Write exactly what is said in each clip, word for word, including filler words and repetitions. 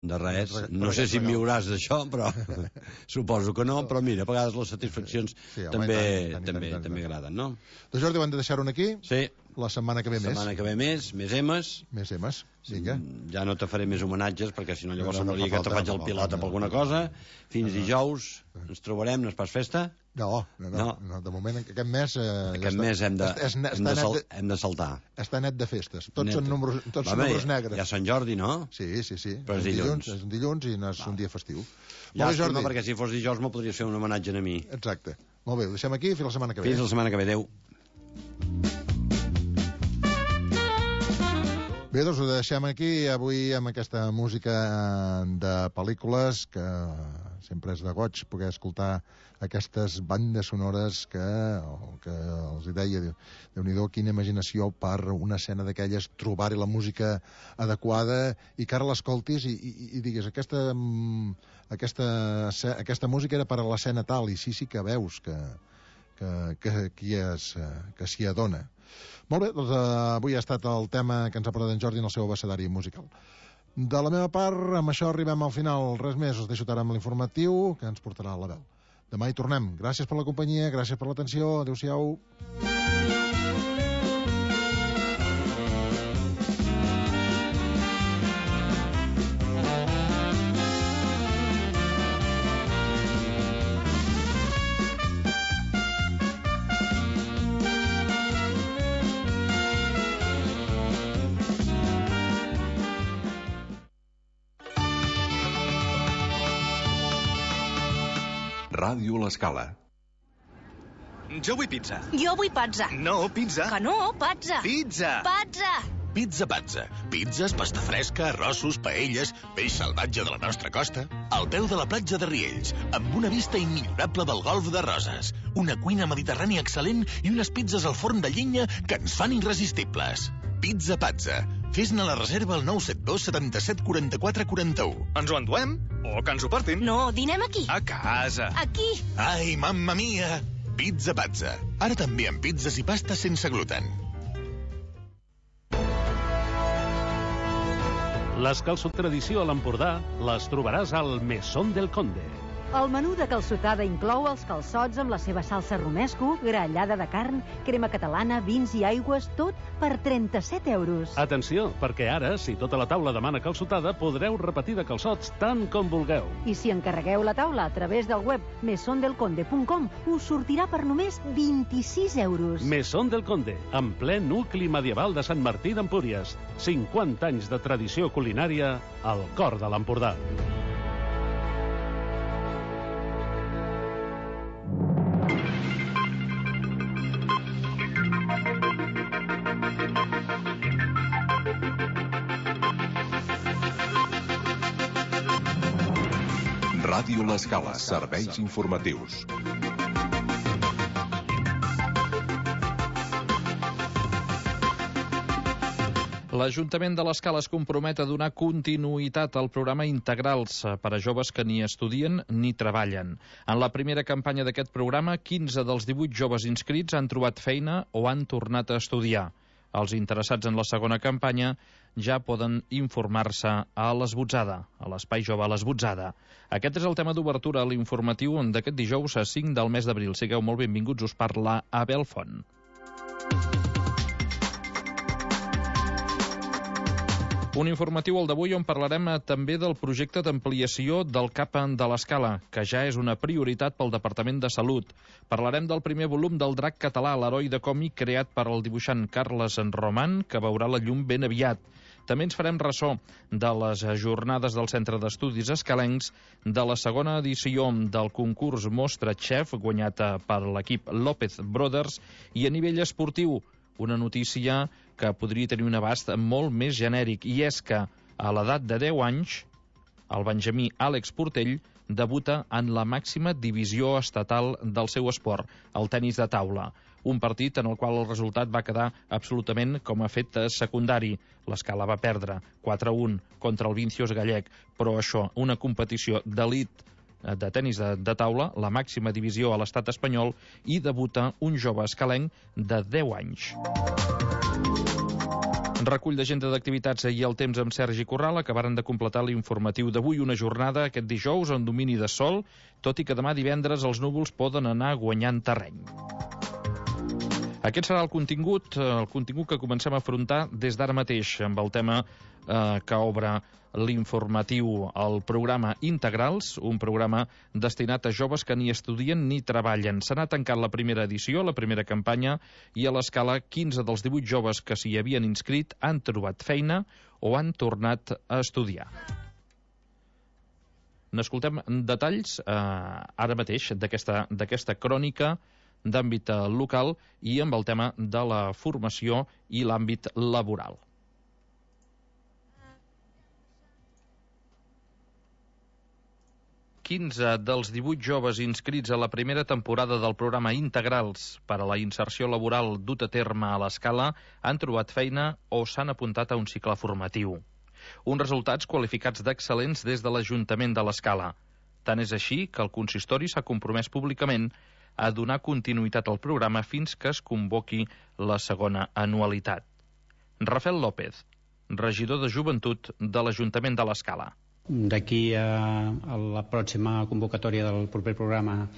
De res, no sé si em viuràs d'això, però suposo que no, però mira, a vegades les satisfaccions sí, també tant, també, tant, també agraden, no? Doncs Jordi, ho hem de deixar-ho aquí? Sí. La setmana que ve més. La setmana que ve més, més emes. Més emes, vinga. Ja no te faré més homenatges, perquè si no llavors semblaria que te faig el pilota per alguna cosa. Fins dijous, ens trobarem, no és pas festa? No, no, no, no. De moment aquest mes... Eh, aquest ja mes hem de, és, hem, de sal, de, hem de saltar. Està net de festes, tots net. Són números, tots Va, són números negres. Ja Sant Jordi, no? Sí, sí, sí. Però és dilluns. És un dilluns i no és Va. un dia festiu. Ja, bé, Jordi. Perquè si fos dijous me podries fer un homenatge a mi. Exacte. Molt bé, ho deixem aquí, fins la setmana que ve. Fins la setmana que ve, adeu. Bé, doncs ho deixem aquí avui amb aquesta música de pel·lícules que sempre és de goig poder escoltar aquestes bandes sonores que, que els deia, Déu-n'hi-do, quina imaginació per una escena d'aquelles, trobar-hi la música adequada i que ara l'escoltis i, i, i digues aquesta, aquesta, aquesta música era per a l'escena tal i sí, sí que veus que, que, que, que, es, que s'hi adona. Molt bé, doncs uh, avui ha estat el tema que ens ha portat en Jordi en el seu abecedari musical. De la meva part, amb això arribem al final. Res més, us deixo ara amb l'informatiu que ens portarà a la veu. Demà hi tornem. Gràcies per la companyia, gràcies per l'atenció. Adéu-siau. Ràdio L'Escala. Jo vull pizza. Jo vull pazza. No, pizza. Que no, pazza. Pizza. Pazza. Pizza Pazza. Pizzas, pasta fresca, arrossos, paelles, peix salvatge de la nostra costa. Al peu de la platja de Riells, amb una vista immillorable del golf de Roses. Una cuina mediterrània excel·lent i unes pizzas al forn de llenya que ens fan irresistibles. Pizza Pazza. Fes-ne la reserva al nou set dos setanta-set quaranta-quatre quaranta-u. Ens ho enduem? O que ens ho portin? No, dinem aquí. A casa. Aquí. Ai, mamma mia! Pizza Pazza. Ara també amb pizzas i pastes sense gluten. Les calçot tradició a l'Empordà les trobaràs al Mesón del Conde. El menú de calçotada inclou els calçots amb la seva salsa romesco, grallada de carn, crema catalana, vins i aigües, tot per trenta-set euros. Atenció, perquè ara, si tota la taula demana calçotada, podreu repetir de calçots tant com vulgueu. I si encarregueu la taula a través del web mesón del conde punt com, us sortirà per només vint-i-sis euros. Mesón del Conde, en ple nucli medieval de Sant Martí d'Empúries. cinquanta anys de tradició culinària al cor de l'Empordà. Ràdio L'Escala, serveis informatius. L'Ajuntament de l'Escala es compromet a donar continuïtat al programa Integrals per a joves que ni estudien ni treballen. En la primera campanya d'aquest programa, quinze dels divuit joves inscrits han trobat feina o han tornat a estudiar. Els interessats en la segona campanya ja poden informar-se a l'Esbotzada, a l'Espai Jove a l'Esbotzada. Aquest és el tema d'obertura a l'informatiu d'aquest dijous a cinc del mes d'abril. Sigueu molt benvinguts, us parla Abel Font. Un informatiu al d'avui on parlarem també del projecte d'ampliació del C A P de l'Escala, que ja és una prioritat pel Departament de Salut. Parlarem del primer volum del Drac català, l'heroi de còmic creat per el dibuixant Carles Roman, que veurà la llum ben aviat. També ens farem ressò de les jornades del Centre d'Estudis Escalencs, de la segona edició del concurs Mostra Chef, guanyat per l'equip López Brothers, i a nivell esportiu, una notícia que podria tenir un abast molt més genèric, i és que a l'edat de deu anys, el benjamí Àlex Portell debuta en la màxima divisió estatal del seu esport, el tenis de taula. Un partit en el qual el resultat va quedar absolutament com a fet secundari. L'Escala va perdre quatre a un contra el Vincios gallec, però això, una competició d'elit de tenis de, de taula, la màxima divisió a l'estat espanyol, i debuta un jove escalenc de deu anys. Recull d'agenda d'activitats i el temps amb Sergi Corral acabaren de completar l'informatiu d'avui, una jornada aquest dijous en domini de sol, tot i que demà divendres els núvols poden anar guanyant terreny. Aquest serà el contingut, el contingut que comencem a afrontar des d'ara mateix, amb el tema eh, que obre l'informatiu, el programa Integrals, un programa destinat a joves que ni estudien ni treballen. Se n'ha tancat la primera edició, la primera campanya, i a l'escala quinze dels divuit joves que s'hi havien inscrit han trobat feina o han tornat a estudiar. N'escoltem detalls eh, ara mateix d'aquesta d'aquesta crònica d'àmbit local i amb el tema de la formació i l'àmbit laboral. quinze dels divuit joves inscrits a la primera temporada del programa Integrals per a la inserció laboral dut a terme a l'escala han trobat feina o s'han apuntat a un cicle formatiu. Uns resultats qualificats d'excel·lents des de l'Ajuntament de l'Escala. Tant és així que el consistori s'ha compromès públicament a donar continuïtat al programa fins que es convoqui la segona anualitat. Rafael López, regidor de Joventut de l'Ajuntament de l'Escala. D'aquí a, a la pròxima convocatòria del proper programa,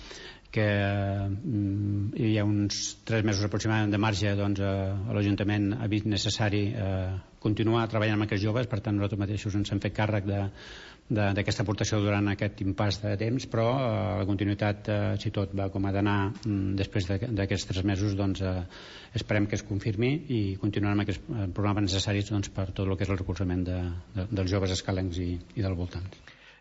que mm, hi ha uns tres mesos aproximadament de marge, doncs a, a l'Ajuntament ha vist necessari eh, continuar treballant amb aquests joves. Per tant, nosaltres mateixos ens hem fet càrrec de d'aquesta aportació durant aquest impàs de temps, però eh, la continuïtat, eh, si tot va com ha d'anar mm, després d'aquests tres mesos, doncs eh, esperem que es confirmi i continuarem amb aquests programes necessaris doncs, per tot el que és el recolzament de, de, dels joves escalencs i, i del voltant.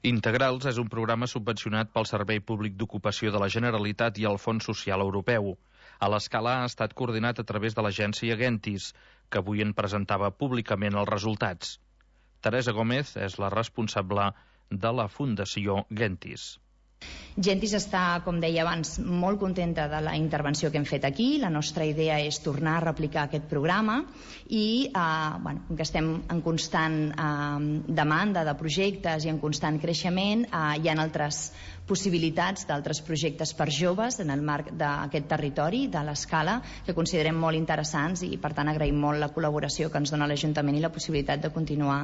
Integrals és un programa subvencionat pel Servei Públic d'Ocupació de la Generalitat i el Fons Social Europeu. A l'Escala ha estat coordinat a través de l'agència Gentis, que avui en presentava públicament els resultats. Teresa Gómez és la responsable de la Fundació Gentis. Gentis està, com deia abans, molt contenta de la intervenció que hem fet aquí. La nostra idea és tornar a replicar aquest programa i, eh, bueno, que estem en constant eh, demanda de projectes i en constant creixement, eh, hi ha altres possibilitats d'altres projectes per joves en el marc d'aquest territori, de l'Escala, que considerem molt interessants i, per tant, agraïm molt la col·laboració que ens dona l'Ajuntament i la possibilitat de continuar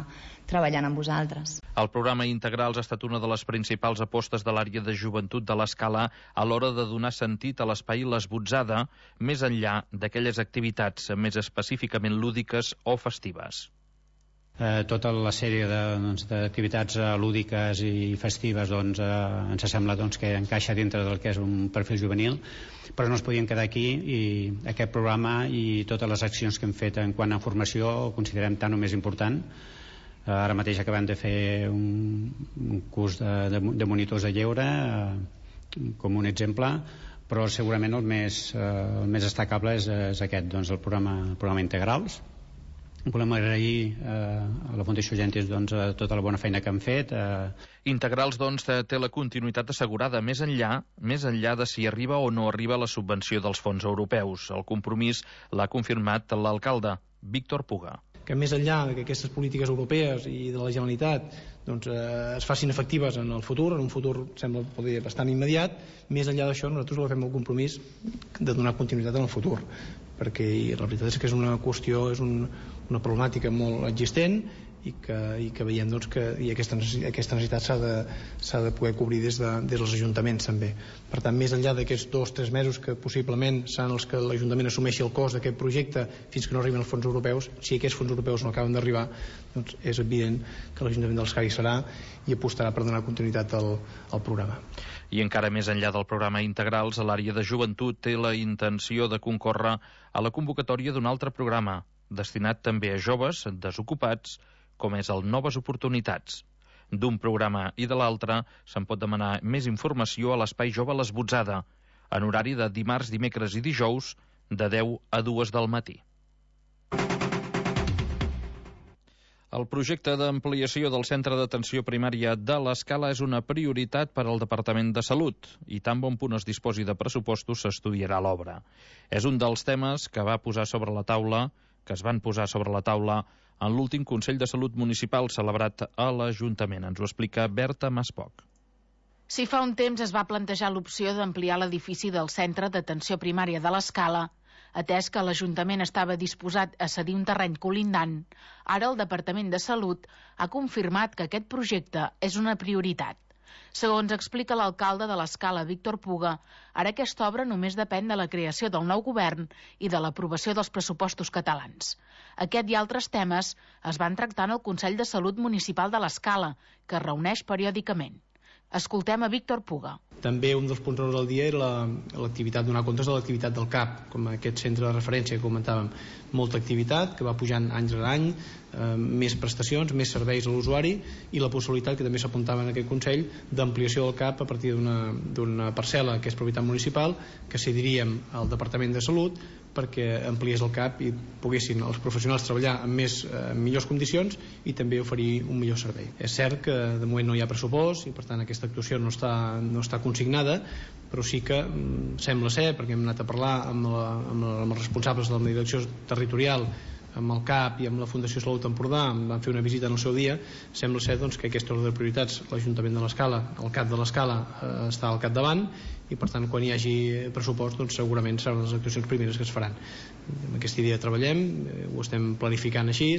treballant amb vosaltres. El programa Integrals ha estat una de les principals apostes de l'àrea de joventut de l'Escala a l'hora de donar sentit a l'espai L'Esbotzada, més enllà d'aquelles activitats més específicament lúdiques o festives. Eh, tota la sèrie d'activitats doncs, eh, lúdiques i festives doncs, eh, ens sembla doncs, que encaixa dintre del que és un perfil juvenil, però no es podien quedar aquí i aquest programa i totes les accions que hem fet en quant a formació ho considerem tan o més important. Eh, ara mateix acabem de fer un, un curs de, de, de monitors de lleure eh, com un exemple, però segurament el més, eh, el més destacable és, és aquest, doncs, el programa, el programa Integrals. Volem agrair eh, a la Fundació Gentis doncs, tota la bona feina que han fet. Eh. Integrals doncs, té la continuïtat assegurada més enllà, més enllà de si arriba o no arriba la subvenció dels fons europeus. El compromís l'ha confirmat l'alcalde, Víctor Puga. Que més enllà que aquestes polítiques europees i de la Generalitat doncs, eh, es facin efectives en el futur, en un futur sembla poder bastant immediat, més enllà d'això nosaltres agafem el compromís de donar continuïtat en el futur, perquè la veritat és que és una qüestió, és un, una problemàtica molt existent i que, i que veiem doncs, que i aquesta, necessitat, aquesta necessitat s'ha de, s'ha de poder cobrir des, de, des dels ajuntaments també. Per tant, més enllà d'aquests dos o tres mesos que possiblement seran els que l'Ajuntament assumeixi el cost d'aquest projecte fins que no arriben els fons europeus, si aquests fons europeus no acaben d'arribar, doncs és evident que l'Ajuntament de l'Escala hi serà i apostarà per donar continuïtat al, al programa. I encara més enllà del programa Integrals, l'àrea de joventut té la intenció de concórrer a la convocatòria d'un altre programa, destinat també a joves desocupats, com és el Noves Oportunitats. D'un programa i de l'altre se'n pot demanar més informació a l'Espai Jove L'Esbotzada, en horari de dimarts, dimecres i dijous, de deu a dues del matí. El projecte d'ampliació del Centre d'Atenció Primària de l'Escala és una prioritat per al Departament de Salut i tan bon punt es disposi de pressupostos s'estudiarà l'obra. És un dels temes que va posar sobre la taula, que es van posar sobre la taula en l'últim Consell de Salut Municipal celebrat a l'Ajuntament. Ens ho explica Berta Maspoc. Si fa un temps es va plantejar l'opció d'ampliar l'edifici del Centre d'Atenció Primària de l'Escala, Atès que l'Ajuntament estava disposat a cedir un terreny colindant, ara el Departament de Salut ha confirmat que aquest projecte és una prioritat. Segons explica l'alcalde de l'Escala, Víctor Puga, ara aquesta obra només depèn de la creació del nou govern i de l'aprovació dels pressupostos catalans. Aquest i altres temes es van tractar en el Consell de Salut Municipal de l'Escala, que es reuneix periòdicament. Escoltem a Víctor Puga. També un dels punts del dia era l'activitat, donar comptes de l'activitat del C A P, com aquest centre de referència que comentàvem. Molta activitat que va pujant any rere any, eh, més prestacions, més serveis a l'usuari i la possibilitat, que també s'apuntava en aquest Consell, d'ampliació del C A P a partir d'una parcel·la que és propietat municipal, que cediríem al Departament de Salut perquè ampliés el C A P i poguessin els professionals treballar en més, eh, millors condicions i també oferir un millor servei. És cert que de moment no hi ha pressupost i per tant aquesta actuació no està, no està consignada, però sí que mm, sembla ser, perquè hem anat a parlar amb, la, amb, la, amb els responsables de la direcció territorial, amb el C A P i amb la Fundació Salut Empordà, van fer una visita en el seu dia, sembla ser doncs, que aquesta ordre de prioritats l'Ajuntament de l'Escala, el C A P de l'Escala eh, està al capdavant i per tant quan hi hagi pressupost doncs, segurament seran les actuacions primeres que es faran. Amb aquesta idea treballem, eh, ho estem planificant així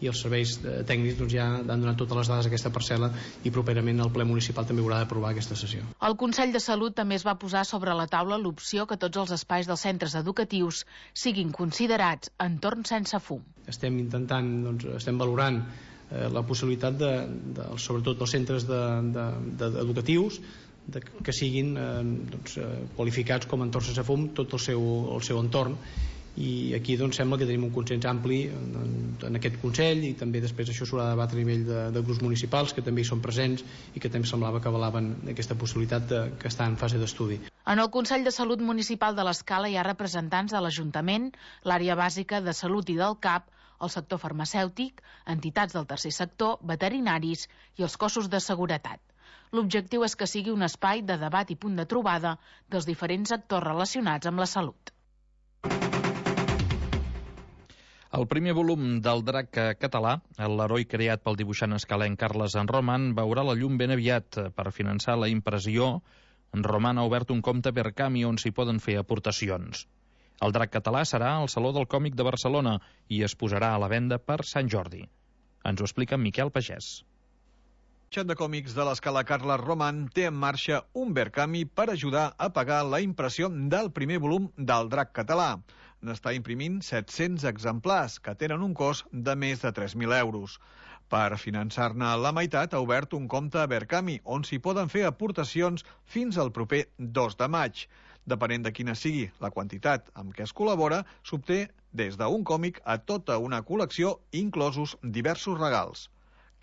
i els serveis eh, tècnics doncs, ja han donat totes les dades a aquesta parcel·la i properament el ple municipal també haurà d'aprovar aquesta sessió. El Consell de Salut també es va posar sobre la taula l'opció que tots els espais dels centres educatius siguin considerats entorns sense fum. Estem intentant, doncs, estem valorant eh, la possibilitat de, de, sobretot dels centres de, de, de, educatius de, que siguin eh, doncs, eh, qualificats com a entorns sense fum tot el seu, el seu entorn, i aquí doncs, sembla que tenim un consens ampli en, en aquest Consell i també després això s'haurà de debatre a nivell de, de grups municipals que també hi són presents i que també semblava que avalaven aquesta possibilitat de, que està en fase d'estudi. En el Consell de Salut Municipal de l'Escala hi ha representants de l'Ajuntament, l'àrea bàsica de salut i del C A P, el sector farmacèutic, entitats del tercer sector, veterinaris i els cossos de seguretat. L'objectiu és que sigui un espai de debat i punt de trobada dels diferents actors relacionats amb la salut. El primer volum del Drac català, l'heroi creat pel dibuixant escalenc Carles en Roman, veurà la llum ben aviat. Per finançar la impressió, en Roman ha obert un compte Verkami on s'hi poden fer aportacions. El Drac català serà al Saló del Còmic de Barcelona i es posarà a la venda per Sant Jordi. Ens ho explica Miquel Pagès. El xat de còmics de l'Escala Carles Roman té en marxa un Verkami per ajudar a pagar la impressió del primer volum del Drac català. N'està imprimint set-cents exemplars, que tenen un cost de més de tres mil euros. Per finançar-ne la meitat ha obert un compte a Verkami, on s'hi poden fer aportacions fins al proper dos de maig. Depenent de quina sigui la quantitat amb què es col·labora, s'obté des d'un còmic a tota una col·lecció, inclosos diversos regals.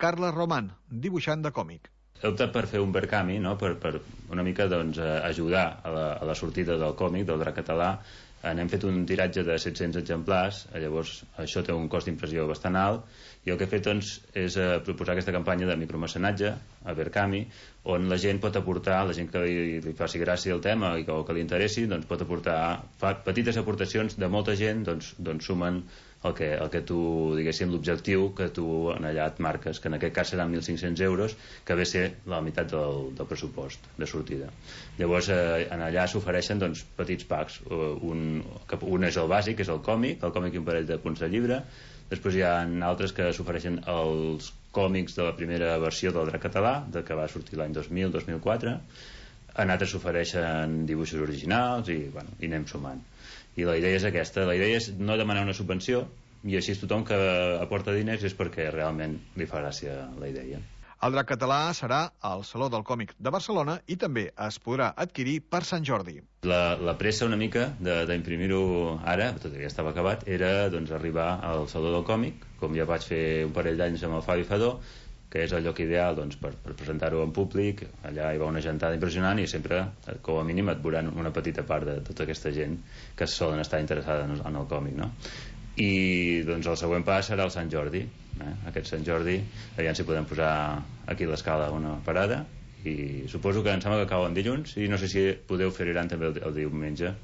Carles Roman, dibuixant de còmic. He optat per fer un Verkami, no? per, per una mica doncs, ajudar a la, a la sortida del còmic, del Drac català. N'hem fet un tiratge de set-cents exemplars, llavors això té un cost d'impressió bastant alt, i el que he fet doncs, és eh, proposar aquesta campanya de micromecenatge a Verkami, on la gent pot aportar, la gent que li, li faci gràcia el tema i que, o que li interessi, doncs pot aportar fa, petites aportacions de molta gent, doncs, doncs sumen el que, el que tu, diguéssim, l'objectiu que tu en allà et marques, que en aquest cas seran mil cinc-cents euros, que ve a ser la meitat del, del pressupost de sortida. Llavors, eh, en allà s'ofereixen doncs, petits packs. Un, un és el bàsic, que és el còmic, el còmic i un parell de punts de llibre. Després hi ha altres que s'ofereixen els còmics de la primera versió del Drac català, de que va sortir l'any dos mil dos mil quatre. En altres s'ofereixen dibuixos originals i, bueno, i anem sumant. I la idea és aquesta, la idea és no demanar una subvenció i així tothom que aporta diners és perquè realment li fa gràcia la idea. El Drac català serà al Saló del Còmic de Barcelona i també es podrà adquirir per Sant Jordi. La, la pressa una mica d'imprimir-ho ara, tot i que ja estava acabat, era doncs, arribar al Saló del Còmic, com ja vaig fer un parell d'anys amb el Fabi Fadó, que és el lloc ideal doncs, per, per presentar-ho en públic. Allà hi va una gentada impressionant i sempre, com a mínim, et veuran una petita part de tota aquesta gent que solen estar interessada en el, en el còmic, no? I doncs el següent pas serà el Sant Jordi, eh? Aquest Sant Jordi, aviam si podem posar aquí a l'Escala una parada, i suposo que em sembla que cau en dilluns, i no sé si podeu fer Iran també el, el diumenge,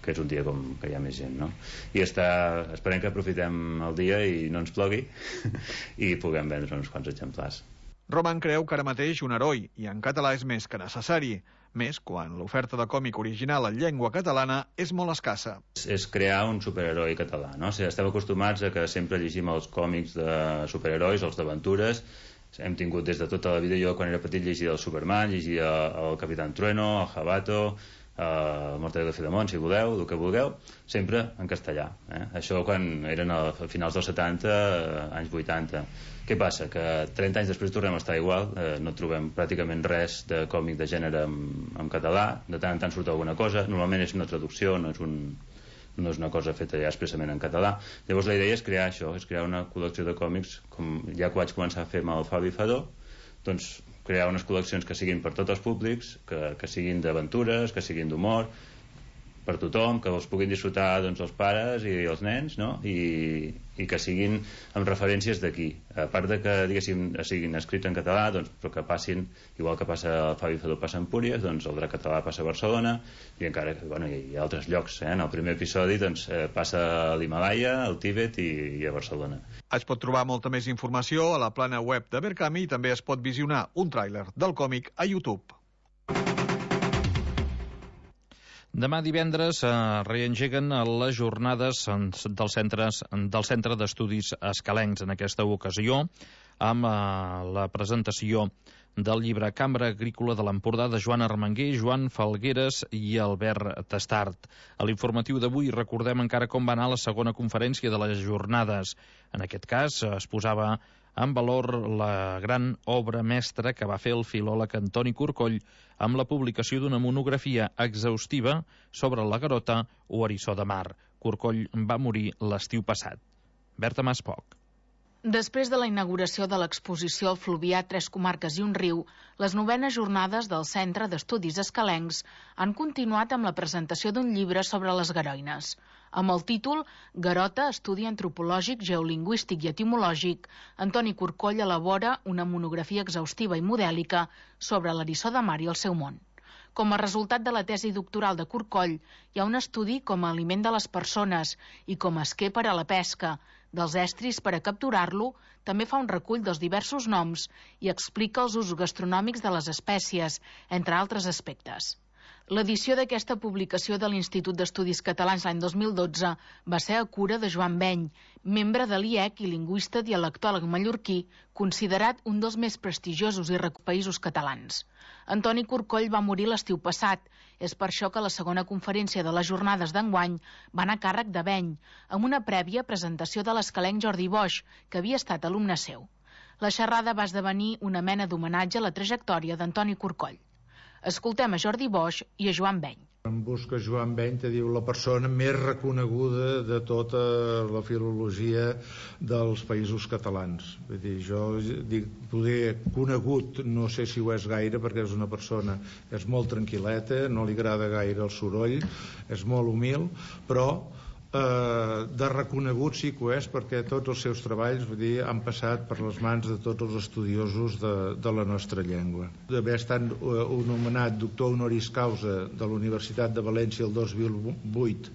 que és un dia com que hi ha més gent, no? I està, esperem que aprofitem el dia i no ens plogui i puguem vendre uns quants exemplars. Roman creu que ara mateix un heroi, i en català és més que necessari, més quan l'oferta de còmic original en llengua catalana és molt escassa. És crear un superheroi català, no? O sigui, estem acostumats a que sempre llegim els còmics de superherois, els d'aventures. Hem tingut des de tota la vida, jo quan era petit llegia el Superman, llegia el Capitán Trueno, el Jabato, el Mortadelo de Filemón, si voleu, el que vulgueu, sempre en castellà. Eh? Això quan eren a finals dels setanta, anys vuitanta. Què passa? Que trenta anys després tornem a estar igual, eh, no trobem pràcticament res de còmic de gènere en, en català, de tant en tant surt alguna cosa, normalment és una traducció, no és, un, no és una cosa feta ja expressament en català. Llavors la idea és crear això, és crear una col·lecció de còmics, com ja que vaig començar a fer amb el Fabi Fadó, doncs crear unes col·leccions que siguin per tots els públics, que, que siguin d'aventures, que siguin d'humor, per tothom, que els puguin disfrutar doncs, els pares i els nens, no? I, i que siguin amb referències d'aquí. A part de que, diguéssim, siguin escrits en català, doncs, però que passin, igual que passa el Fabi Fadó passa a Empúries, doncs el Drac Català passa a Barcelona, i encara bueno, hi ha altres llocs. Eh? En el primer episodi doncs, passa a l'Himalaya, al Tíbet i, i a Barcelona. Es pot trobar molta més informació a la plana web de Berkami i també es pot visionar un tràiler del còmic a YouTube. Demà divendres eh, reengeguen les jornades del, centres, del Centre d'Estudis Escalencs, en aquesta ocasió, amb eh, la presentació del llibre Cambra Agrícola de l'Empordà de Joan Armenguer, Joan Falgueres i Albert Tastart. A l'informatiu d'avui recordem encara com va anar la segona conferència de les jornades. En aquest cas es posava en valor la gran obra mestra que va fer el filòleg Antoni Corcoll amb la publicació d'una monografia exhaustiva sobre la Garota o eriçó de mar. Corcoll va morir l'estiu passat. Berta Maspoc. Després de la inauguració de l'exposició al Fluvià, Tres Comarques i un Riu, les novenes jornades del Centre d'Estudis Escalencs han continuat amb la presentació d'un llibre sobre les garoines. Amb el títol Garota, estudi antropològic, geolingüístic i etimològic, Antoni Corcoll elabora una monografia exhaustiva i modèlica sobre l'eriçó de mar i el seu món. Com a resultat de la tesi doctoral de Corcoll, hi ha un estudi com a aliment de les persones i com a esquer per a la pesca, dels estris per a capturar-lo, també fa un recull dels diversos noms i explica els usos gastronòmics de les espècies, entre altres aspectes. L'edició d'aquesta publicació de l'Institut d'Estudis Catalans l'any dos mil dotze va ser a cura de Joan Beny, membre de l'I E C i lingüista dialectòleg mallorquí, considerat un dels més prestigiosos i reconeguts països catalans. Antoni Corcoll va morir l'estiu passat. És per això que la segona conferència de les jornades d'enguany va anar a càrrec de Beny, amb una prèvia presentació de l'escalenc Jordi Boix, que havia estat alumne seu. La xerrada va esdevenir una mena d'homenatge a la trajectòria d'Antoni Corcoll. Escoltem a Jordi Boix i a Joan Beny. Em busca Joan Beny, te diu la persona més reconeguda de tota la filologia dels països catalans. Vull dir, jo dic, poder conegut, no sé si ho és gaire, perquè és una persona, és molt tranquil·leta, no li agrada gaire el soroll, és molt humil, però eh, de reconegut sí que ho és, perquè tots els seus treballs, vull dir, han passat per les mans de tots els estudiosos de, de la nostra llengua. D'haver estat uh, un nomenat doctor honoris causa de la Universitat de València el dos mil vuit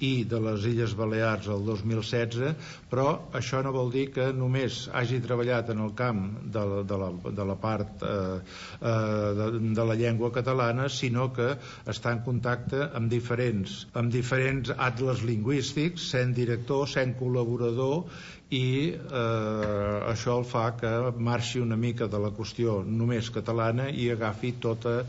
i de les Illes Balears el dos mil setze, però això no vol dir que només hagi treballat en el camp de, de, la, de la part eh, eh, de, de la llengua catalana, sinó que està en contacte amb diferents, amb diferents atles lingüístics, sent director, sent col·laborador, i eh, això el fa que marxi una mica de la qüestió només catalana i agafi tota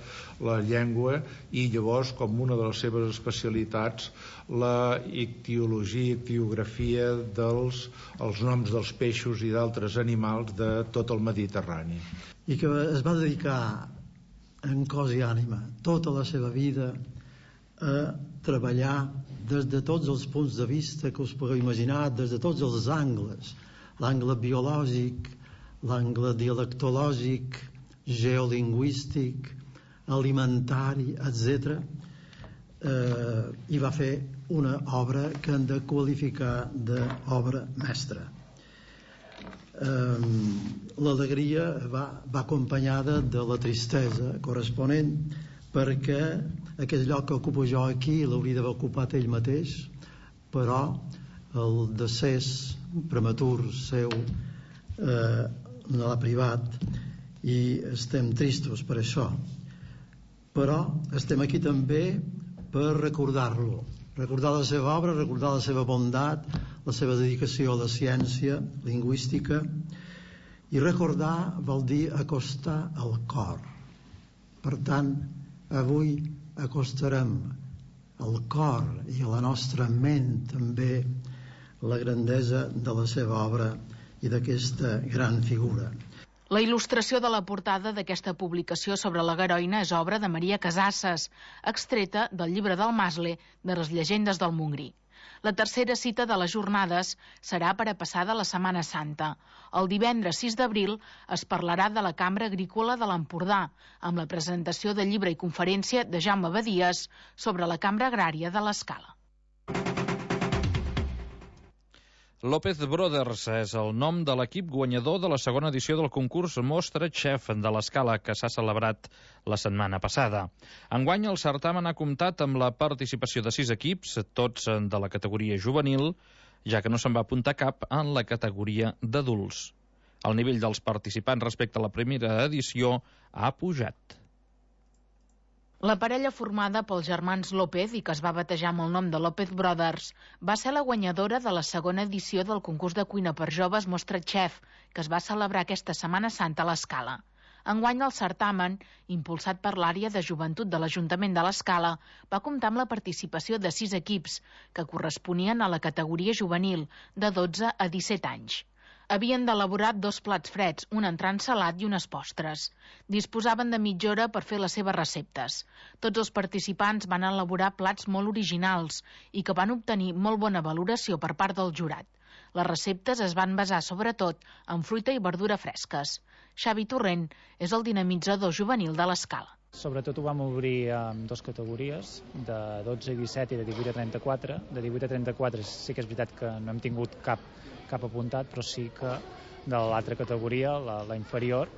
la llengua, i llavors, com una de les seves especialitats, la ictiologia, ictiografia dels els noms dels peixos i d'altres animals de tot el Mediterrani. I que es va dedicar en cos i ànima tota la seva vida a treballar des de tots els punts de vista que us pugueu imaginar, des de tots els angles, l'angle biològic, l'angle dialectològic, geolingüístic, alimentari, etcètera. Eh, i va fer una obra que hem de qualificar d'obra mestra. Eh, l'alegria va, va acompanyada de la tristesa corresponent, perquè aquest lloc que ocupo jo aquí l'hauria d'haver ocupat ell mateix, però el decés prematur seu eh, no l'ha privat, i estem tristos per això, però estem aquí també per recordar-lo, recordar la seva obra, recordar la seva bondat, la seva dedicació a la ciència lingüística, i recordar vol dir acostar al cor. Per tant, avui acostarem al cor i a la nostra ment també la grandesa de la seva obra i d'aquesta gran figura. La il·lustració de la portada d'aquesta publicació sobre la Garoina és obra de Maria Casasses, extreta del llibre del Masle de les llegendes del Montgrí. La tercera cita de les jornades serà per a passada la Setmana Santa. El divendres sis d'abril es parlarà de la Cambra Agrícola de l'Empordà, amb la presentació de llibre i conferència de Jaume Badies sobre la Cambra Agrària de l'Escala. López Brothers és el nom de l'equip guanyador de la segona edició del concurs Mostra Chef de l'Escala, que s'ha celebrat la setmana passada. Enguany el certamen ha comptat amb la participació de sis equips, tots de la categoria juvenil, ja que no se'n va apuntar cap en la categoria d'adults. El nivell dels participants respecte a la primera edició ha pujat. La parella formada pels germans López i que es va batejar amb el nom de López Brothers va ser la guanyadora de la segona edició del concurs de cuina per joves Mostra Chef, que es va celebrar aquesta Setmana Santa a l'Escala. Enguany el certamen, impulsat per l'àrea de joventut de l'Ajuntament de l'Escala, va comptar amb la participació de sis equips, que corresponien a la categoria juvenil, de dotze a disset anys. Havien d'elaborar dos plats freds, un entrant salat i unes postres. Disposaven de mitja hora per fer les seves receptes. Tots els participants van elaborar plats molt originals i que van obtenir molt bona valoració per part del jurat. Les receptes es van basar sobretot en fruita i verdura fresques. Xavi Torrent és el dinamitzador juvenil de l'Escala. Sobretot ho vam obrir en dues categories, de dotze i disset i de divuit a trenta-quatre. De divuit a trenta-quatre sí que és veritat que no hem tingut cap, cap apuntat, però sí que de l'altra categoria, la, la inferior,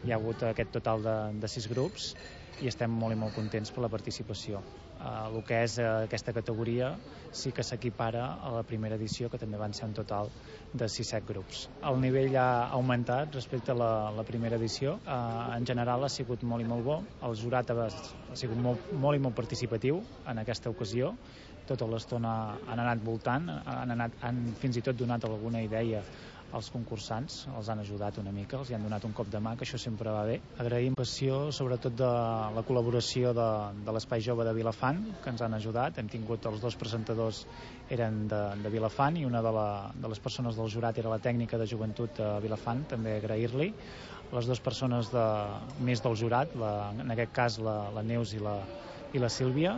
hi ha hagut aquest total de, de sis grups i estem molt i molt contents per la participació. Uh, el que és uh, aquesta categoria sí que s'equipara a la primera edició, que també van ser un total de sis set grups. El nivell ha augmentat respecte a la, la primera edició. Uh, en general ha sigut molt i molt bo. El jurat ha, ha sigut molt, molt i molt participatiu en aquesta ocasió. Tota l'estona han anat voltant, han, anat, han fins i tot donat alguna idea als concursants, els han ajudat una mica, els hi han donat un cop de mà, que això sempre va bé. Agraïm passió, sobretot de la col·laboració de, de l'Espai Jove de Vilafant, que ens han ajudat. Hem tingut els dos presentadors eren de, de Vilafant i una de, la, de les persones del jurat era la tècnica de joventut de Vilafant, també agrair-li. Les dues persones de, més del jurat, la, en aquest cas la, la Neus i la, i la Sílvia,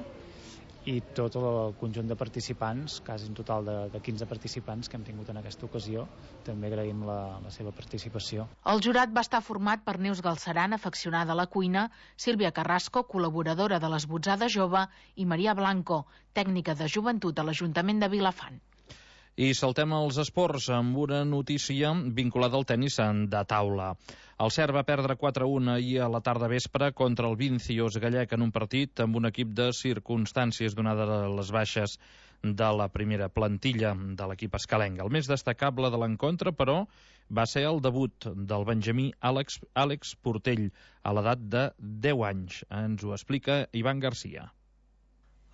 i tot el conjunt de participants, quasi un total de, de quinze participants que hem tingut en aquesta ocasió. També agraïm la, la seva participació. El jurat va estar format per Neus Galceran, afeccionada a la cuina, Sílvia Carrasco, col·laboradora de l'Esbotzada Jove, i Maria Blanco, tècnica de joventut a l'Ajuntament de Vilafant. I saltem als esports amb una notícia vinculada al tenis de taula. El Cert va perdre quatre a un ahir a la tarda vespre contra el Vincios gallec en un partit amb un equip de circumstàncies donades les baixes de la primera plantilla de l'equip escalenc. El més destacable de l'encontre, però, va ser el debut del benjamí Àlex, Àlex Portell a l'edat de deu anys. Ens ho explica Ivan Garcia.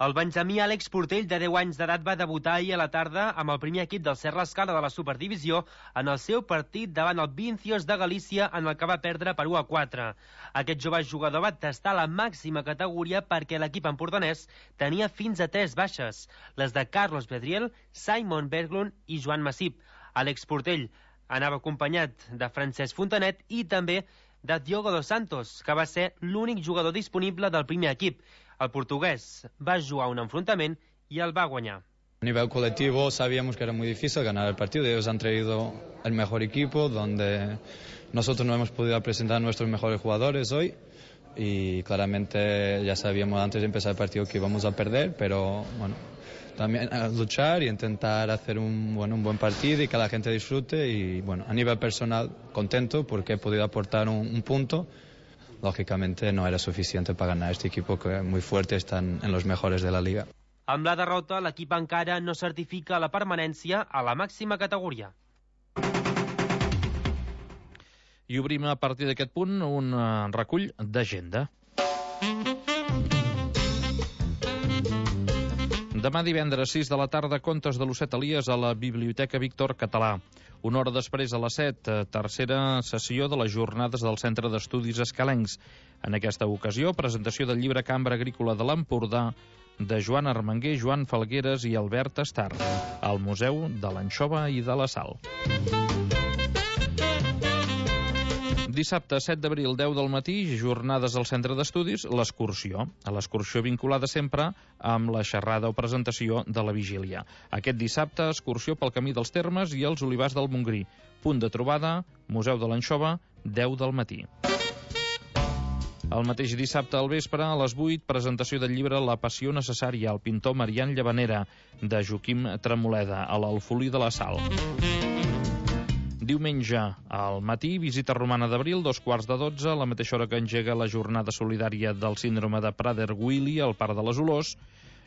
El benjamí Àlex Portell, de deu anys d'edat, va debutar ahir a la tarda amb el primer equip del Cert l'Escala de la Superdivisió en el seu partit davant el Vincios de Galícia, en el que va perdre per u a quatre. Aquest jove jugador va tastar la màxima categoria perquè l'equip empordanès tenia fins a tres baixes, les de Carlos Bedriel, Simon Berglund i Joan Massip. Àlex Portell anava acompanyat de Francesc Fontanet i també de Diogo dos Santos, que va ser l'únic jugador disponible del primer equip. El portugués va jugar un enfrontament y el va guanyar. A nivel colectivo sabíamos que era muy difícil ganar el partido. Ellos han traído el mejor equipo, donde nosotros no hemos podido presentar a nuestros mejores jugadores hoy. Y claramente ya sabíamos antes de empezar el partido que íbamos a perder, pero bueno, también a luchar y intentar hacer un, bueno, un buen partido y que la gente disfrute. Y bueno, a nivel personal contento porque he podido aportar un, un punto. Lògicamente no era suficiente para ganar este equipo que muy fuerte, están en los mejores de la liga. Amb la derrota, l'equip encara no certifica la permanència a la màxima categoria. I obrim a partir d'aquest punt un recull d'agenda. Demà divendres, sis de la tarda, contes de l'Osset Elies a la Biblioteca Víctor Català. Una hora després, a les set, tercera sessió de les jornades del Centre d'Estudis Escalencs. En aquesta ocasió, presentació del llibre Cambra Agrícola de l'Empordà de Joan Armenguer, Joan Falgueres i Albert Estar, al Museu de l'Anxova i de la Sal. Dissabte, set d'abril, deu del matí, jornades al Centre d'Estudis, l'excursió. A l'excursió vinculada sempre amb la xerrada o presentació de la vigília. Aquest dissabte, excursió pel Camí dels Termes i els Olivars del Montgrí. Punt de trobada, Museu de l'Anxova, deu del matí. El mateix dissabte al vespre, a les vuit, presentació del llibre La passió necessària, al pintor Marian Llavanera, de Joaquim Tremoleda, a l'Alfolí de la Sal. Diumenge al matí, visita romana d'Abril, dos quarts de dotze, a la mateixa hora que engega la jornada solidària del síndrome de Prader-Willi al Parc de les Olors,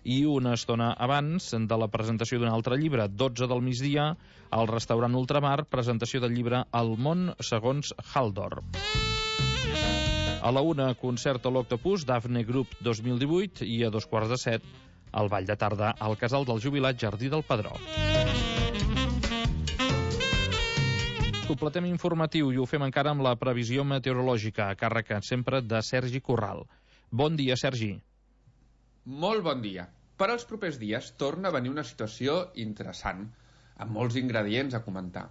i una estona abans de la presentació d'un altre llibre, dotze del migdia, al restaurant Ultramar, presentació del llibre El món segons Haldor. A la una, concert a l'Octopus, Dafne Group dos mil divuit, i a dos quarts de set, al ball de tarda al Casal del Jubilat Jardí del Pedró. Completem informatiu i ho fem encara amb la previsió meteorològica, a càrrec sempre de Sergi Corral. Bon dia, Sergi. Molt bon dia. Per als propers dies torna a venir una situació interessant, amb molts ingredients a comentar.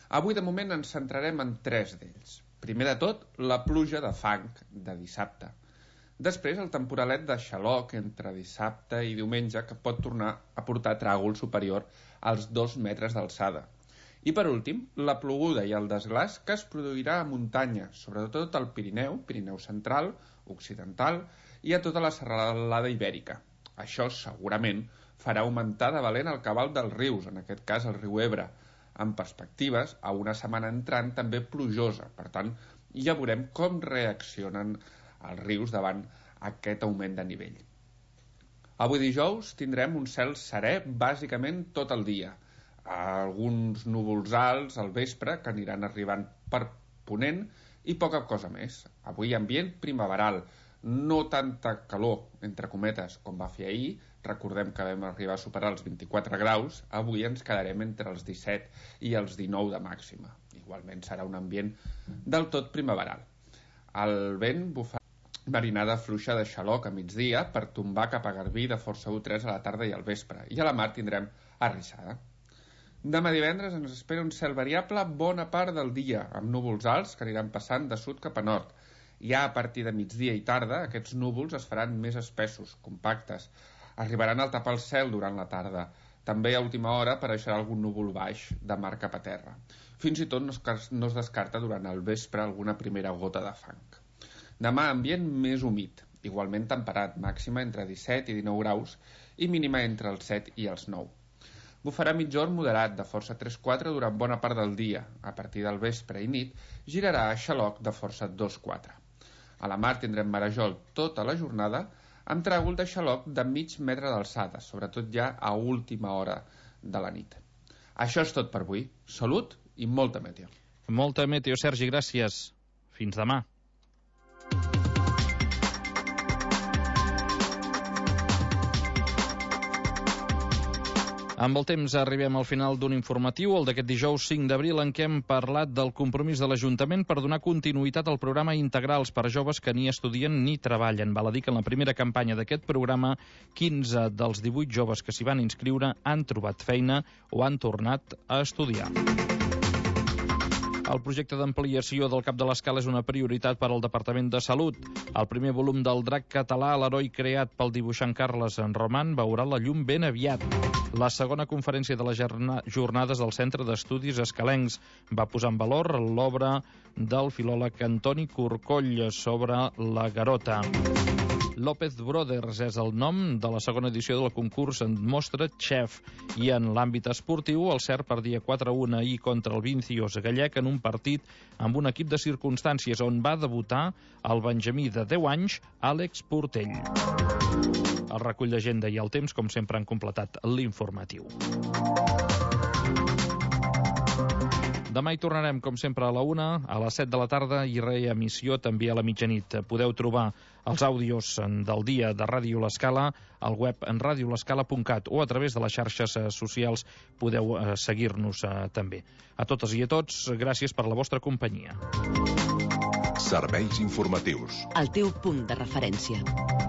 Avui, de moment, ens centrarem en tres d'ells. Primer de tot, la pluja de fang de dissabte. Després, el temporalet de xaloc entre dissabte i diumenge, que pot tornar a portar tràgol superior als dos metres d'alçada. I per últim, la ploguda i el desglàs que es produirà a muntanya, sobretot al Pirineu, Pirineu central, occidental i a tota la serralada ibèrica. Això segurament farà augmentar de valent el cabal dels rius, en aquest cas el riu Ebre, amb perspectives a una setmana entrant també plujosa. Per tant, ja veurem com reaccionen els rius davant aquest augment de nivell. Avui dijous tindrem un cel serè bàsicament tot el dia. Alguns núvols alts al vespre que aniran arribant per ponent i poca cosa més. Avui ambient primaveral, no tanta calor, entre cometes, com va fer ahir. Recordem que vam arribar a superar els vint-i-quatre graus, avui ens quedarem entre els disset i els dinou de màxima. Igualment serà un ambient del tot primaveral. El vent bufarà marinada fluixa de xaloc a migdia per tombar cap a Garbí de força u tres a la tarda i al vespre, i a la mar tindrem arrissada. Demà divendres ens espera un cel variable bona part del dia, amb núvols alts que aniran passant de sud cap a nord. Ja a partir de migdia i tarda, aquests núvols es faran més espessos, compactes. Arribaran al tapar el cel durant la tarda. També a última hora apareixerà algun núvol baix de mar cap a terra. Fins i tot no es, no es descarta durant el vespre alguna primera gota de fang. Demà ambient més humit, igualment temperat, màxima entre disset i dinou graus i mínima entre els set i els nou. Bufarà mitjorn moderat de força tres quatre durant bona part del dia. A partir del vespre i nit girarà a xaloc de força dos quatre. A la mar tindrem marejol tota la jornada amb tràgol de xaloc de mig metre d'alçada, sobretot ja a última hora de la nit. Això és tot per avui. Salut i molta meteo. Molta meteo, Sergi, gràcies. Fins demà. Amb el temps arribem al final d'un informatiu, el d'aquest dijous cinc d'abril, en què hem parlat del compromís de l'Ajuntament per donar continuïtat al programa Integrals per a joves que ni estudien ni treballen. Val a dir que en la primera campanya d'aquest programa, quinze dels divuit joves que s'hi van inscriure han trobat feina o han tornat a estudiar. El projecte d'ampliació del Cap de l'Escala és una prioritat per al Departament de Salut. El primer volum del Drac català, l'heroi creat pel dibuixant Carles Roman, veurà la llum ben aviat. La segona conferència de les jornades del Centre d'Estudis Escalencs va posar en valor l'obra del filòleg Antoni Corcoll sobre la Garota. López Brothers és el nom de la segona edició del concurs en Mostra Chef, i en l'àmbit esportiu el cert perdia quatre a un ahir contra el Vincios gallec en un partit amb un equip de circumstàncies on va debutar el benjamí de deu anys Àlex Portell. El recull d'agenda i el temps, com sempre, han completat l'informatiu. Demà hi tornarem, com sempre, a la una, a les set de la tarda i reemissió també a la mitjanit. Podeu trobar els àudios del dia de Ràdio L'Escala al web en radio l'escala punt cat o a través de les xarxes socials podeu eh, seguir-nos eh, també. A totes i a tots, gràcies per la vostra companyia. Serveis informatius. El teu punt de referència.